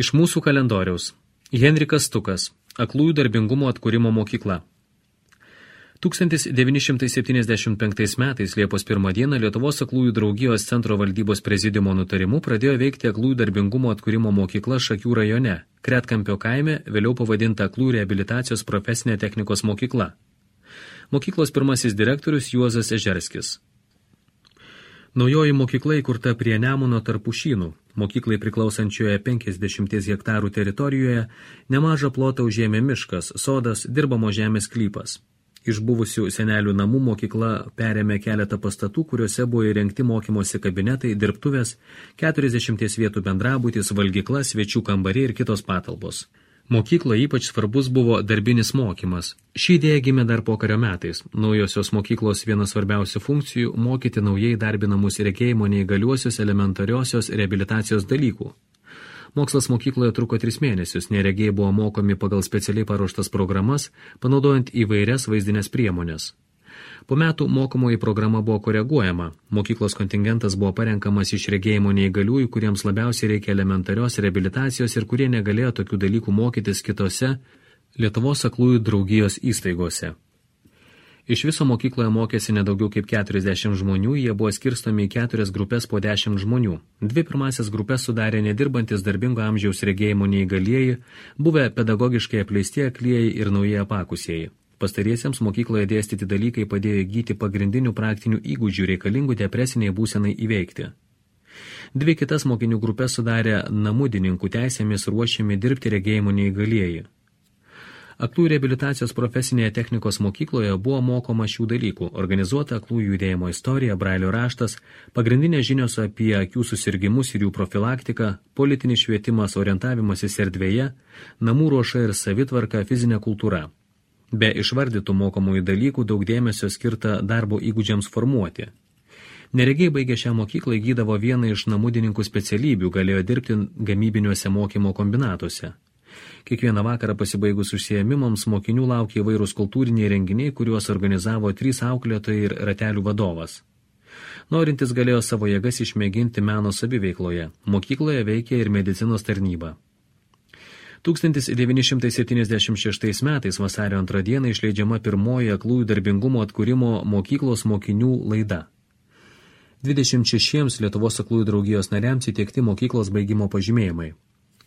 Iš mūsų kalendoriaus. Henrikas Stukas. Aklųjų darbingumo atkūrimo mokykla. 1975 metais Liepos 1 dieną Lietuvos aklųjų draugijos centro valdybos prezidiumo nutarimu pradėjo veikti aklųjų darbingumo atkūrimo mokykla Šakių rajone, Kretkampio kaime, vėliau pavadinta aklųjų reabilitacijos profesinė technikos mokykla. Mokyklos pirmasis direktorius Juozas Ežerskis. Naujoji mokykla įkurta prie Nemuno tarp Pušynų. Mokyklai priklausančioje 50 hektarų teritorijoje nemažą plotą užėmė miškas, sodas, dirbamo žemės sklypas. Iš buvusių senelių namų mokykla perėmė keletą pastatų, kuriuose buvo įrengti mokymosi kabinetai, dirbtuvės, 40 vietų bendrabutis, valgykla, svečių kambariai ir kitos patalpos. Mokykloje ypač svarbus buvo darbinis mokymas. Ši idėja gimė dar pokario metais. Naujosios mokyklos vienas svarbiausių funkcijų – mokyti naujai darbinamus regėjimo neįgaliuosius elementariosios reabilitacijos dalykų. Mokslas mokykloje truko 3 mėnesius, neregiai buvo mokomi pagal specialiai paruoštas programas, panaudojant įvairias vaizdinės priemonės. Po metų mokomoji programa buvo koreguojama. Mokyklos kontingentas buvo parenkamas iš regėjimo neįgaliųjų, kuriems labiausiai reikia elementarios reabilitacijos ir kurie negalėjo tokių dalykų mokytis kitose Lietuvos aklųjų draugijos įstaigose. Iš viso mokykloje mokėsi nedaugiau kaip 40 žmonių, jie buvo skirstomi į 4 grupės po 10 žmonių. 2 pirmasias grupės sudarė nedirbantis darbingo amžiaus regėjimo neįgalieji, buvę pedagogiškai apleisti aklieji ir naujai apakusieji. Pastariesiems mokykloje dėstyti dalykai padėjo įgyti pagrindinių praktinių įgūdžių reikalingų depresiniai būsenai įveikti. 2 kitas mokinių grupės sudarė namudininkų teisėmis ruošiami dirbti regėjimo neįgalieji. Aklųjų reabilitacijos profesinėje technikos mokykloje buvo mokoma šių dalykų – organizuota aklųjų judėjimo istorija, brailio raštas, pagrindinės žinios apie akių susirgimus ir jų profilaktiką, politinis švietimas, orientavimasis erdvėje, namų ruoša ir savitvarka, fizinė kultūra. Be išvardytų mokomųjų dalykų daug dėmesio skirta darbo įgūdžiams formuoti. Neregiai baigę šią mokyklą įgydavo vieną iš namudininkų specialybių, galėjo dirbti gamybiniuose mokymo kombinatuose. Kiekvieną vakarą pasibaigus užsiėmimams mokinių laukė įvairūs kultūriniai renginiai, kuriuos organizavo 3 auklėtojai ir ratelių vadovas. Norintis galėjo savo jėgas išmėginti meno saviveikloje. Mokykloje veikė ir medicinos tarnyba. 1976 metais vasario 2 dieną išleidžiama pirmoji aklųjų darbingumo atkūrimo mokyklos mokinių laida. 26 Lietuvos aklųjų draugijos nariams įteikti mokyklos baigimo pažymėjimai.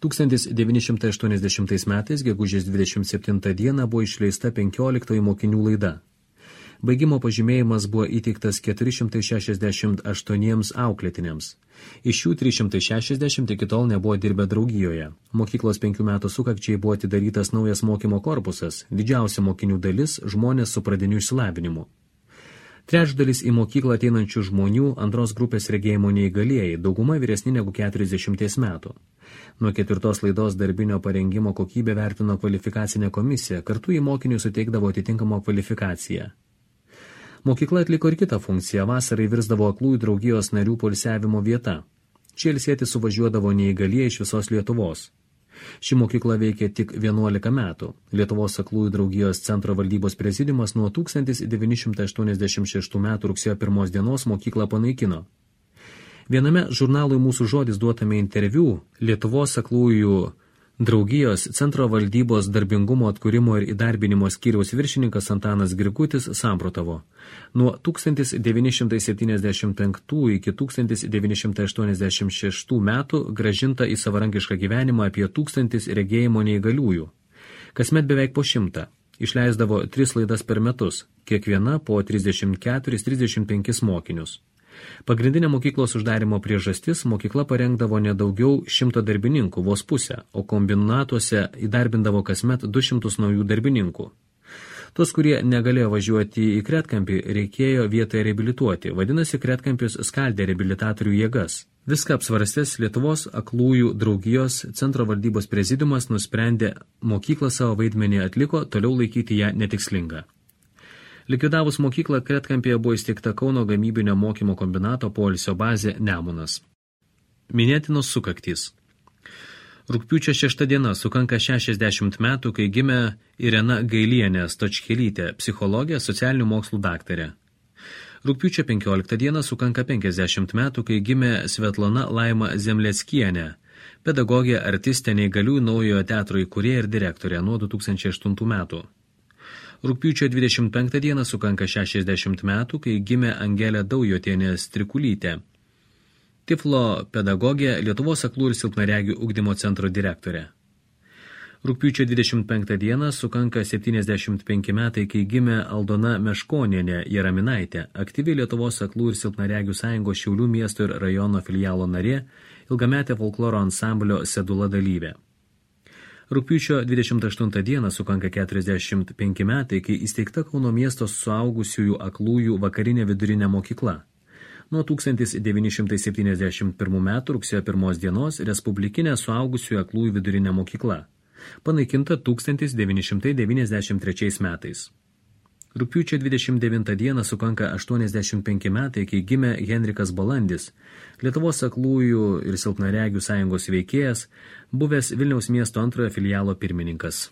1980 metais, gegužės 27 dieną, buvo išleista 15 mokinių laida. Baigimo pažymėjimas buvo įteiktas 468 auklėtiniams. Iš jų 360 iki tol nebuvo dirbę draugijoje. Mokyklos 5 metų sukakčiai buvo atidarytas naujas mokymo korpusas, didžiausia mokinių dalis – žmonės su pradiniu išsilavinimu. Trečdalis į mokyklą ateinančių žmonių antros grupės regėjimo neįgalieji, dauguma vyresni negu 40 metų. Nuo 4 laidos darbinio parengimo kokybę vertino kvalifikacinė komisija, kartu į mokinių suteikdavo atitinkamą kvalifikaciją. Mokykla atliko ir kitą funkciją, vasarai virsdavo aklųjų draugijos narių poilsiavimo vieta. Čia ilsėti suvažiuodavo neįgalieji iš visos Lietuvos. Ši mokykla veikė tik 11 metų. Lietuvos aklųjų draugijos centro valdybos prezidiumas nuo 1986 metų rugsėjo 1 dienos mokyklą panaikino. Viename žurnalui Mūsų žodis duotame interviu Lietuvos aklųjų draugijos centro valdybos darbingumo atkūrimo ir įdarbinimo skyriaus viršininkas Antanas Grigutis samprotavo. Nuo 1975 iki 1986 metų grąžinta į savarankišką gyvenimą apie 1000 regėjimo neįgaliųjų. Kasmet beveik po 100. Išleisdavo 3 laidas per metus, kiekviena po 34-35 mokinius. Pagrindinė mokyklos uždarimo priežastis – mokykla parengdavo nedaugiau 100 darbininkų, vos pusę, o kombinatuose įdarbindavo kasmet 200 naujų darbininkų. Tos, kurie negalėjo važiuoti į Kretkampį, reikėjo vietoje reabilituoti, vadinasi, Kretkampis skaldė reabilitatorių jėgas. Viską apsvarstęs Lietuvos aklųjų draugijos centro valdybos prezidiumas nusprendė mokyklą savo vaidmenį atliko, toliau laikyti ją netikslinga. Likvidavus mokyklą Kretkampyje buvo įsteigta Kauno gamybinio mokymo kombinato poilsio bazė Nemunas. Minėtinos sukaktys. Rugpjūčio 6 diena sukanka 60 metų, kai gimė Irena Gailienė Stočkelytė, psichologė, socialinių mokslų daktarė. Rugpjūčio 15 dieną sukanka 50 metų, kai gimė Svetlana Laima Zemleckienė, pedagogė, artistė, neįgaliųjų naujojo teatro įkūrėja ir direktorė nuo 2008 metų. Rugpjūčio 25 dieną sukanka 60 metų, kai gimė Angelė Daujotienė Strikulytė. Tiflo pedagogė, Lietuvos aklų ir silpnaregių ugdymo centro direktorė. Rugpjūčio 25 dieną sukanka 75 metai, kai gimė Aldona Meškonienė Jaraminaitė, aktyvi Lietuvos aklų ir silpnaregių sąjungos Šiaulių miesto ir rajono filialo narė, ilgametė folkloro ansamblio Sedula dalyvė. Rugpjūčio 28 dieną sukanka 45 metai, kai įsteigta Kauno miesto suaugusiųjų aklųjų vakarinė vidurinė mokykla. Nuo 1971 metų rugsėjo 1 dienos Respublikinė suaugusiųjų aklųjų vidurinė mokykla. Panaikinta 1993 metais. Rugpjūčio 29 dieną sukanka 85 metai, kai gimė Henrikas Balandis, Lietuvos aklųjų ir silpnaregių sąjungos veikėjas, buvęs Vilniaus miesto antrojo filialo pirmininkas.